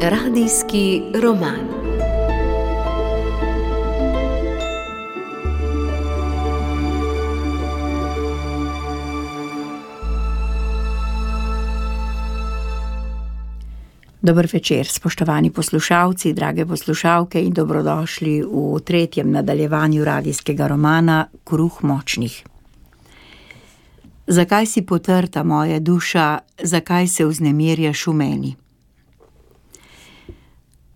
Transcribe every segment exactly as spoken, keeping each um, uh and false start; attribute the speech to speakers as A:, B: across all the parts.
A: Radijski roman. Dober večer, spoštovani poslušalci, drage poslušalke in dobrodošli v tretjem nadaljevanju radijskega romana Kruh močnih. Zakaj si potrta moja duša, zakaj se vznemirjaš v meni?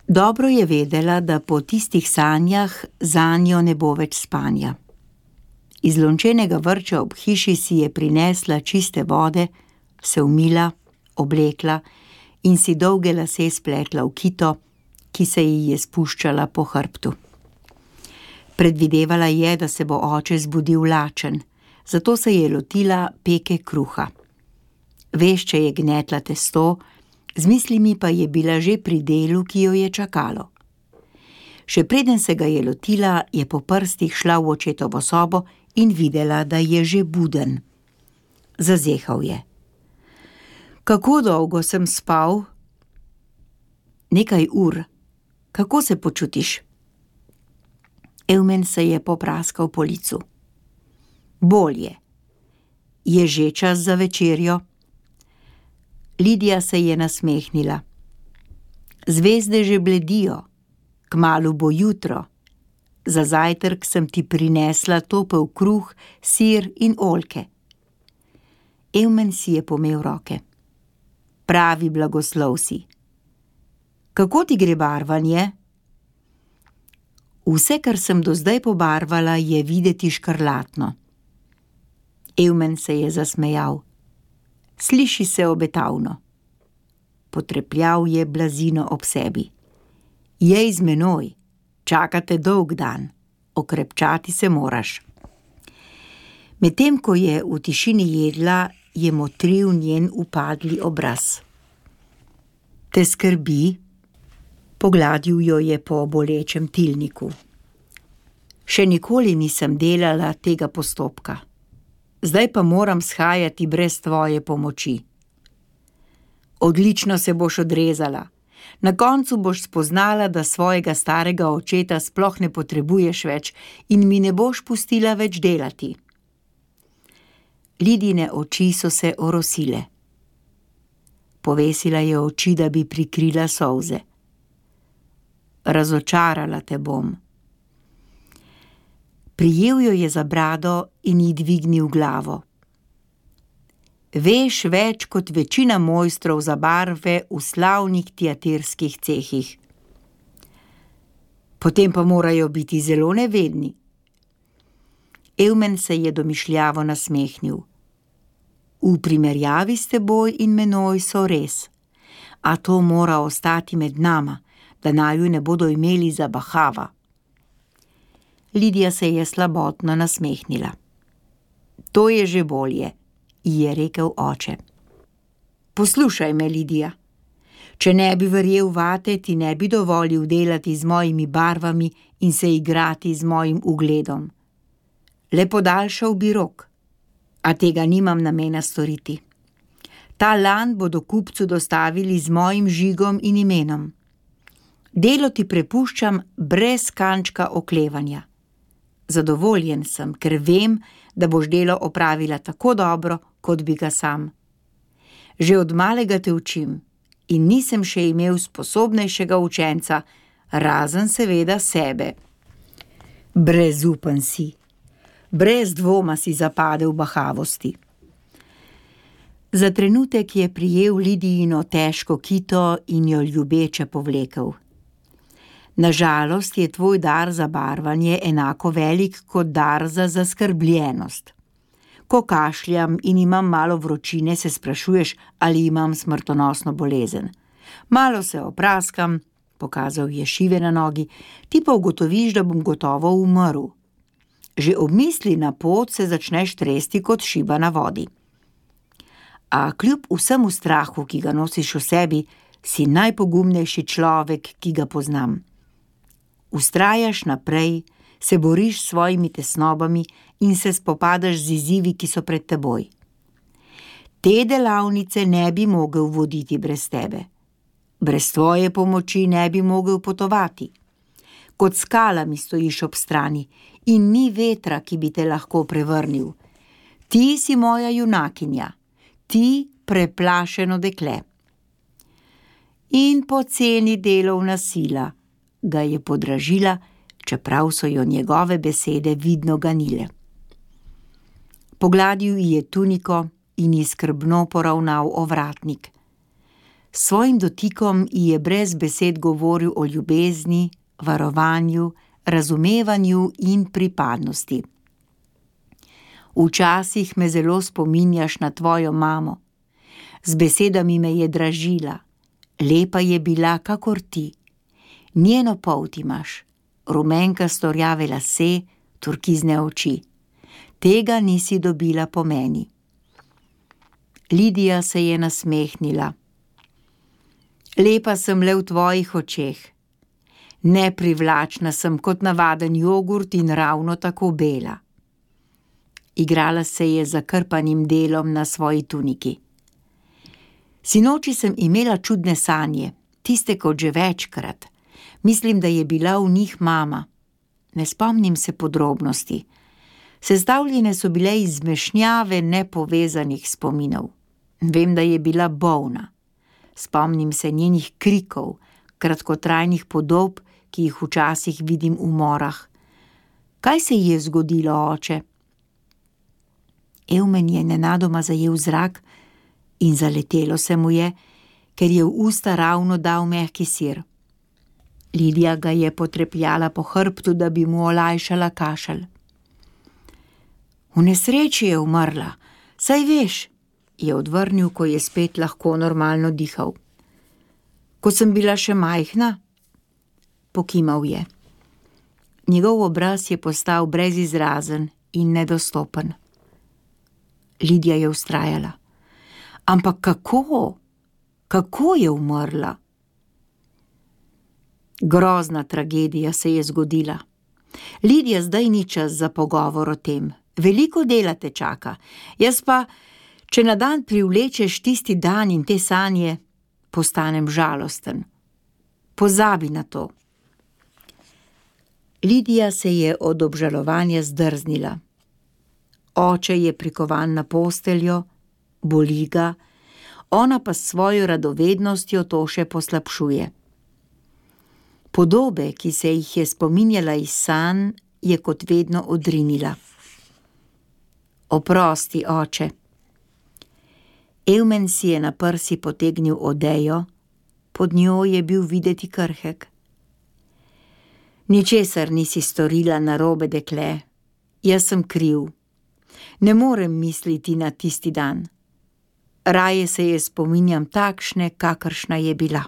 A: Dobro je vedela, da po tistih sanjah zanjo ne bo več spanja. Iz lončenega vrča ob hiši si je prinesla čiste vode, se umila, oblekla in si dolge lase spletla v kito, ki se ji je spuščala po hrbtu. Predvidevala je, da se bo oče zbudil lačen, zato se je lotila peke kruha. Vešče je gnetla testo, z mislimi pa je bila že pri delu, ki jo je čakalo. Še preden se ga je lotila, je po prstih šla v očetovo sobo in videla, da je že buden. Zazehal je. Kako dolgo sem spal? Nekaj ur. Kako se počutiš? Evmen se je popraskal po licu. Bolje. Je že čas za večerjo? Lidija se je nasmehnila. Zvezde že bledijo, kmalu bo jutro. Za zajtrk sem ti prinesla topel kruh, sir in oljke. Evmen si je pomel roke. Pravi blagoslov si. Kako ti gre barvanje? Vse, kar sem do zdaj pobarvala, je videti škrlatno. Evmen se je zasmejal. Sliši se obetavno. Potrepljal je blazino ob sebi. Jej z menoj, čakate dolg dan, okrepčati se moraš. Medtem ko je v tišini jedla, je motril njen upadli obraz. Te skrbi? Pogladil jo je po bolečem tilniku. Še nikoli nisem delala tega postopka. Zdaj pa moram shajati brez tvoje pomoči. Odlično se boš odrezala. Na koncu boš spoznala, da svojega starega očeta sploh ne potrebuješ več in mi ne boš pustila več delati. Lidine oči so se orosile. Povesila je oči, da bi prikrila solze. Razočarala te bom. Prijel jo je za brado in ji dvignil glavo. Veš več kot večina mojstrov za barve v slavnih teatrskih cehih. Potem pa morajo biti zelo nevedni. Evmen se je domišljavo nasmehnil. V primerjavi s teboj in menoj so res, a to mora ostati med nama, da naju ne bodo imeli za bahava. Lidija se je slabotno nasmehnila. To je že bolje, ji je rekel oče. Poslušaj me, Lidija. Če ne bi verjel vate, ti ne bi dovolil delati z mojimi barvami in se igrati z mojim ugledom. Le podaljšal bi rok, a tega nimam namena storiti. Ta lan bodo kupcu dostavili z mojim žigom in imenom. Delo ti prepuščam brez kančka oklevanja. Zadovoljen sem, ker vem, da boš delo opravila tako dobro, kot bi ga sam. Že od malega te učim in nisem še imel sposobnejšega učenca, razen seveda sebe. Brezupen si. Brez dvoma si zapadel v bahavosti. Za trenutek je prijel Lidijino težko kito in jo ljubeče povlekel. Nažalost je tvoj dar za barvanje enako velik kot dar za zaskrbljenost. Ko kašljam in imam malo vročine, se sprašuješ, ali imam smrtonosno bolezen. Malo se opraskam, pokazal je šive na nogi, ti pa ugotoviš, da bom gotovo umrl. Že ob misli na pot se začneš tresti kot šiba na vodi. A kljub vsemu strahu, ki ga nosiš v sebi, si najpogumnejši človek, ki ga poznam. Vztrajaš naprej, se boriš s svojimi tesnobami in se spopadaš z izzivi, ki so pred teboj. Te delavnice ne bi mogel voditi brez tebe. Brez tvoje pomoči ne bi mogel potovati. Kot skala mi stojiš ob strani in ni vetra, ki bi te lahko prevrnil. Ti si moja junakinja, ti preplašeno dekle. In poceni delovna sila, ga je podražila, čeprav so jo njegove besede vidno ganile. Pogladil ji je tuniko in ji skrbno poravnal ovratnik. S svojim dotikom ji je brez besed govoril o ljubezni, varovanju, razumevanju in pripadnosti. Včasih me zelo spominjaš na tvojo mamo. Z besedami me je dražila. Lepa je bila kakor ti. Njeno polt imaš, rumenkasto rjave lase, turkizne oči. Tega nisi dobila po meni. Lidija se je nasmehnila. Lepa sem le v tvojih očeh. Neprivlačna sem kot navaden jogurt in ravno tako bela. Igrala se je z zakrpanim delom na svoji tuniki. Sinoči sem imela čudne sanje, tiste kot že večkrat. Mislim, da je bila v njih mama. Ne spomnim se podrobnosti. Sestavljene so bile iz zmešnjave nepovezanih spominov. Vem, da je bila bolna. Spomnim se njenih krikov, kratkotrajnih podob, ki jih včasih vidim v morah. Kaj se ji je zgodilo, oče? Evmen je nenadoma zajel zrak in zaletelo se mu je, ker je v usta ravno dal mehki sir. Lidija ga je potrepljala po hrbtu, da bi mu olajšala kašelj. V nesreči je umrla, saj veš, je odvrnil, ko je spet lahko normalno dihal. Ko sem bila še majhna, pokimal je. Njegov obraz je postal brezizrazen in nedostopen. Lidija je vztrajala. Ampak kako? Kako je umrla? Grozna tragedija se je zgodila. Lidija, zdaj ni čas za pogovor o tem. Veliko dela te čaka. Jaz pa, če na dan privlečeš tisti dan in te sanje, postanem žalosten. Pozabi na to. Lidija se je od obžalovanja zdrznila. Oče je prikovan na posteljo, boli ga, ona pa s svojo radovednostjo to še poslabšuje. Podobe, ki se jih je spominjala iz sanj, je kot vedno odrinila. Oprosti, oče. Evmen si je na prsi potegnil odejo, pod njo je bil videti krhek. Ničesar nisi storila narobe, dekle. Jaz sem kriv. Ne morem misliti na tisti dan. Raje se je spominjam takšne, kakršna je bila.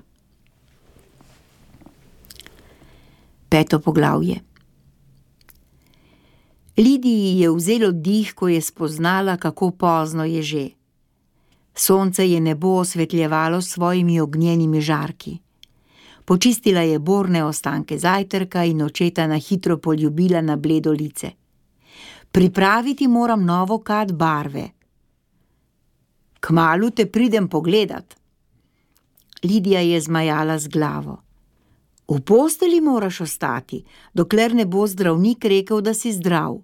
A: Peto poglavje. Lidiji je vzelo dih, ko je spoznala, kako pozno je že. Sonce je nebo osvetljevalo s svojimi ognjenimi žarki. Počistila je borne ostanke zajtrka in očeta na hitro poljubila na bledo lice. Pripraviti moram novo kad barve. Kmalu te pridem pogledat. Lidija je zmajala z glavo. V posteli moraš ostati, dokler ne bo zdravnik rekel, da si zdrav.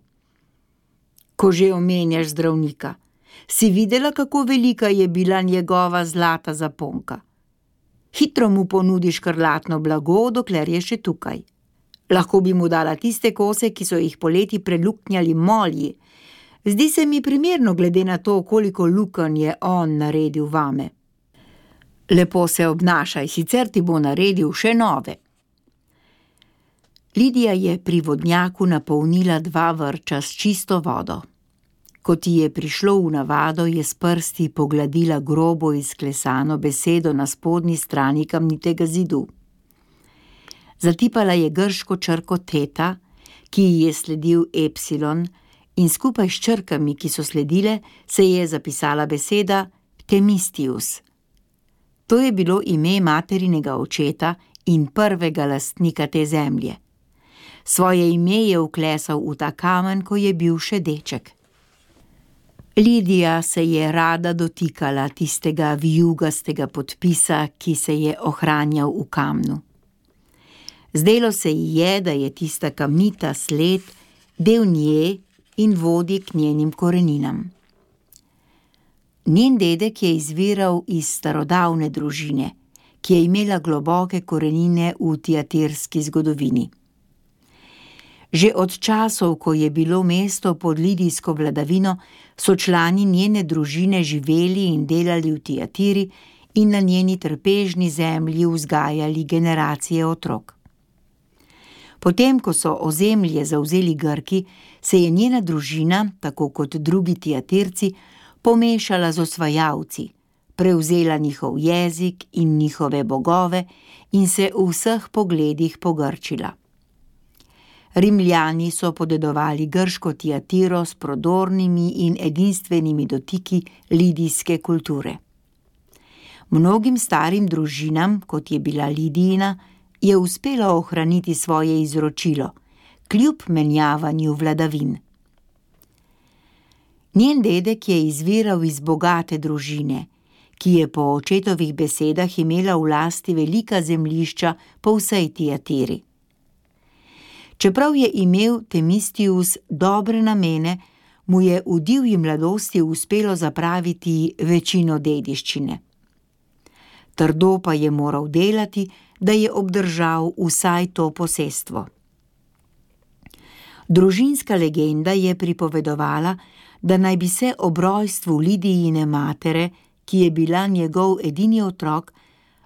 A: Ko že omenjaš zdravnika, si videla, kako velika je bila njegova zlata zaponka. Hitro mu ponudiš škrlatno blago, dokler je še tukaj. Lahko bi mu dala tiste kose, ki so jih poleti preluknjali molji. Zdi se mi primerno glede na to, koliko lukenj je on naredil vame. Lepo se obnašaj, sicer ti bo naredil še nove. Lidija je pri vodnjaku napolnila dva vrča s čisto vodo. Ko ti je prišlo v navado, je s prsti pogladila grobo izklesano besedo na spodnji strani kamnitega zidu. Zatipala je grško črko teta, ki ji je sledil epsilon, in skupaj s črkami, ki so sledile, se je zapisala beseda Themistius. To je bilo ime materinega očeta in prvega lastnika te zemlje. Svoje ime je vklesal v ta kamen, ko je bil še deček. Lidija se je rada dotikala tistega vijugastega podpisa, ki se je ohranjal v kamnu. Zdelo se ji je, da je tista kamnita sled del nje in vodi k njenim koreninam. Njen dedek je izviral iz starodavne družine, ki je imela globoke korenine v tiatirski zgodovini. Že od časov, ko je bilo mesto pod lidijsko vladavino, so člani njene družine živeli in delali v Tiatiri in na njeni trpežni zemlji vzgajali generacije otrok. Potem, ko so ozemlje zavzeli Grki, se je njena družina, tako kot drugi Tiatirci, pomešala z osvajalci, prevzela njihov jezik in njihove bogove in se v vseh pogledih pogrčila. Rimljani so podedovali grško Tiatiro s prodornimi in edinstvenimi dotiki lidijske kulture. Mnogim starim družinam, kot je bila Lidijina, je uspelo ohraniti svoje izročilo, kljub menjavanju vladavin. Njen dedek je izviral iz bogate družine, ki je po očetovih besedah imela v lasti velika zemljišča po vsej Tiatiri. Čeprav je imel Themistius dobre namene, mu je v divji mladosti uspelo zapraviti večino dediščine. Trdo pa je moral delati, da je obdržal vsaj to posestvo. Družinska legenda je pripovedovala, da naj bi se ob rojstvu Lidijine matere, ki je bila njegov edini otrok,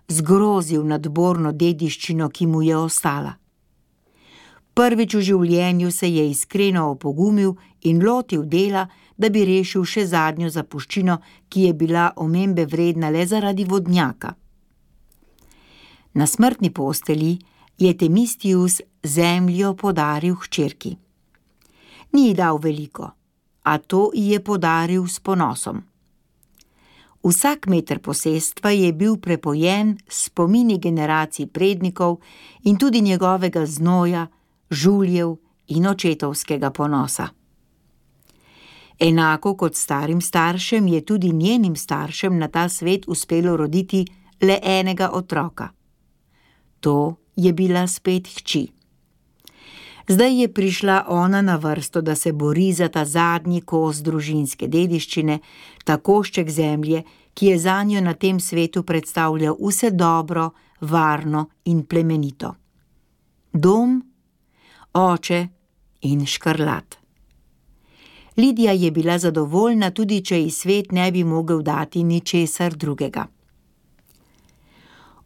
A: zgrozil nad borno dediščino, ki mu je ostala. Prvič v življenju se je iskreno opogumil in lotil dela, da bi rešil še zadnjo zapuščino, ki je bila omembe vredna le zaradi vodnjaka. Na smrtni postelji je Themistius zemljo podaril hčerki. Ni ji dal veliko, a to ji je podaril s ponosom. Vsak meter posestva je bil prepojen s spomini generacij prednikov in tudi njegovega znoja, žuljev in očetovskega ponosa. Enako kot starim staršem je tudi njenim staršem na ta svet uspelo roditi le enega otroka. To je bila spet hči. Zdaj je prišla ona na vrsto, da se bori za ta zadnji kos družinske dediščine, ta košček zemlje, ki je zanjo na tem svetu predstavljal vse dobro, varno in plemenito. Dom, oče in škrlat. Lidija je bila zadovoljna, tudi če ji svet ne bi mogel dati ničesar drugega.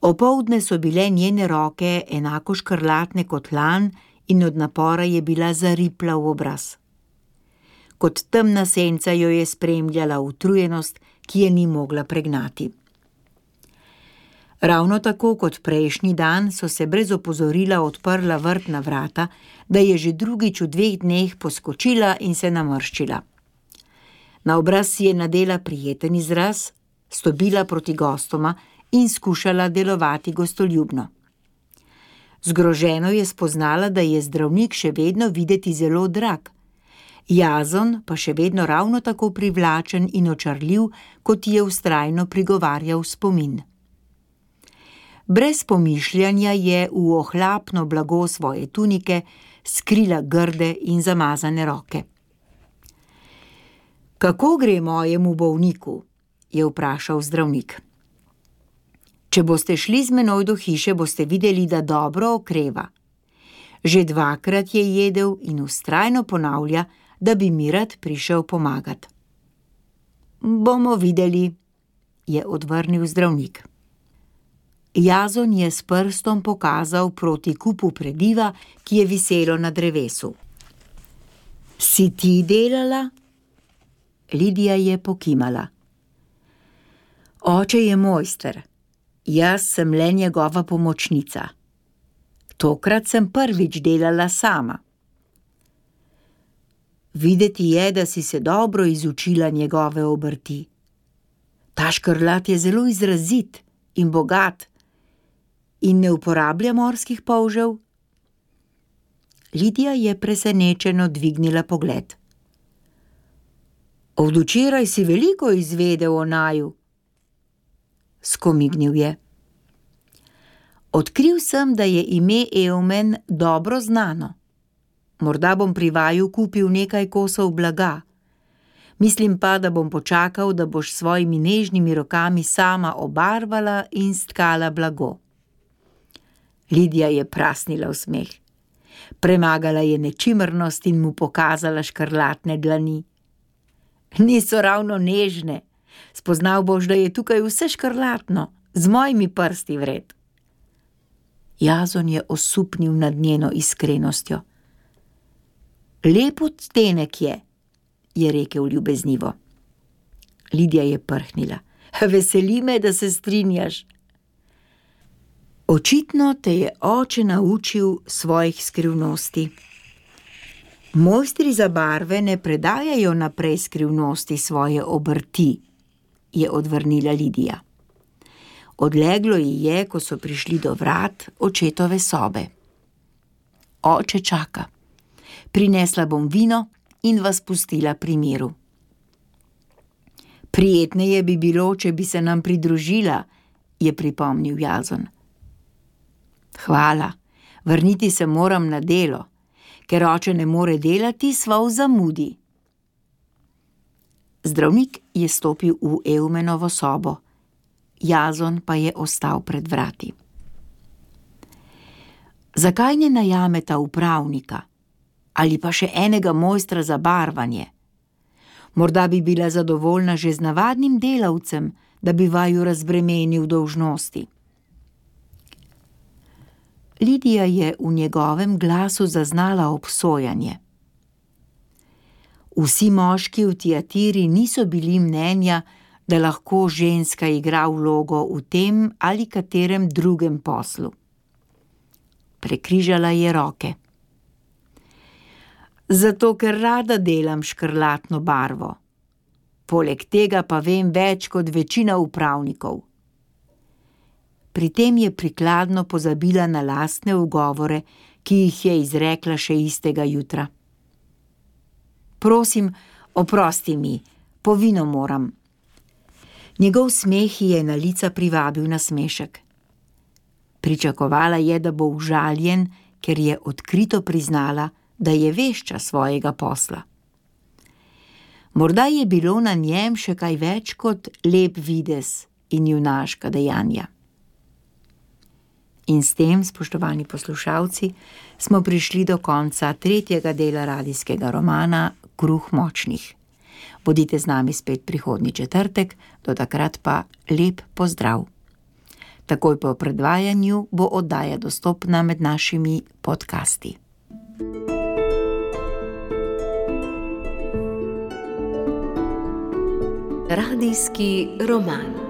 A: Opoldne so bile njene roke enako škrlatne kot lan in od napora je bila zaripla v obraz. Kot temna senca jo je spremljala utrujenost, ki je ni mogla pregnati. Ravno tako kot prejšnji dan so se brez opozorila odprla vrtna vrata, da je že drugič v dveh dneh poskočila in se namrščila. Na obraz si je nadela prijeten izraz, stopila proti gostoma in skušala delovati gostoljubno. Zgroženo je spoznala, da je zdravnik še vedno videti zelo drag, Jazon pa še vedno ravno tako privlačen in očarljiv, kot je vztrajno prigovarjal spomin. Brez pomišljanja je v ohlapno blago svoje tunike skrila grde in zamazane roke. Kako gre mojemu bolniku? Je vprašal zdravnik. Če boste šli z menoj do hiše, boste videli, da dobro okreva. Že dvakrat je jedel in vztrajno ponavlja, da bi mi rad prišel pomagat. Bomo videli, je odvrnil zdravnik. Jazon je s prstom pokazal proti kupu prediva, ki je viselo na drevesu. Si ti delala? Lidija je pokimala. Oče je mojster, jaz sem le njegova pomočnica. Tokrat sem prvič delala sama. Videti je, da si se dobro izučila njegove obrti. Ta škrlat je zelo izrazit in bogat in ne uporablja morskih polžev. Lidija je presenečeno dvignila pogled. Od včeraj si veliko izvedel o naju, skomignil je. Odkril sem, da je ime Eumen dobro znano. Morda bom pri vaju kupil nekaj kosov blaga. Mislim pa, da bom počakal, da boš svojimi nežnimi rokami sama obarvala in stkala blago. Lidija je prasnila v smeh. Premagala je nečimrnost in mu pokazala škrlatne dlani. Niso ravno nežne. Spoznal boš, da je tukaj vse škrlatno, z mojimi prsti vred. Jazon je osupnil nad njeno iskrenostjo. Lep odtenek je, je rekel ljubeznivo. Lidija je prhnila. Veseli me, da se strinjaš. Očitno te je oče naučil svojih skrivnosti. Mojstri za barve ne predajajo naprej skrivnosti svoje obrti, je odvrnila Lidija. Odleglo ji je, ko so prišli do vrat očetove sobe. Oče čaka. Prinesla bom vino in vas pustila pri miru. Prijetneje bi bilo, če bi se nam pridružila, je pripomnil Jazon. Hvala, vrniti se moram na delo, ker oče ne more delati, sva v zamudi. Zdravnik je stopil v Eumenovo sobo, Jazon pa je ostal pred vrati. Zakaj ne najameta upravnika ali pa še enega mojstra za barvanje? Morda bi bila zadovoljna že z navadnim delavcem, da bi vaju razbremenil dolžnosti. Lidija je v njegovem glasu zaznala obsojanje. Vsi moški v Tiatiri niso bili mnenja, da lahko ženska igra vlogo v tem ali katerem drugem poslu. Prekrižala je roke. Zato, ker rada delam škrlatno barvo. Poleg tega pa vem več kot večina upravnikov. Pri tem je prikladno pozabila na lastne ugovore, ki jih je izrekla še istega jutra. Prosim, oprosti mi, po vino moram. Njegov smeh je na lica privabil nasmešek. Pričakovala je, da bo užaljen, ker je odkrito priznala, da je vešča svojega posla. Morda je bilo na njem še kaj več kot lep videz in junaška dejanja. In s tem, spoštovani poslušalci, smo prišli do konca tretjega dela radijskega romana Kruh močnih. Bodite z nami spet prihodnji četrtek, do takrat pa lep pozdrav. Takoj po predvajanju bo oddaja dostopna med našimi podcasti.
B: Radijski roman.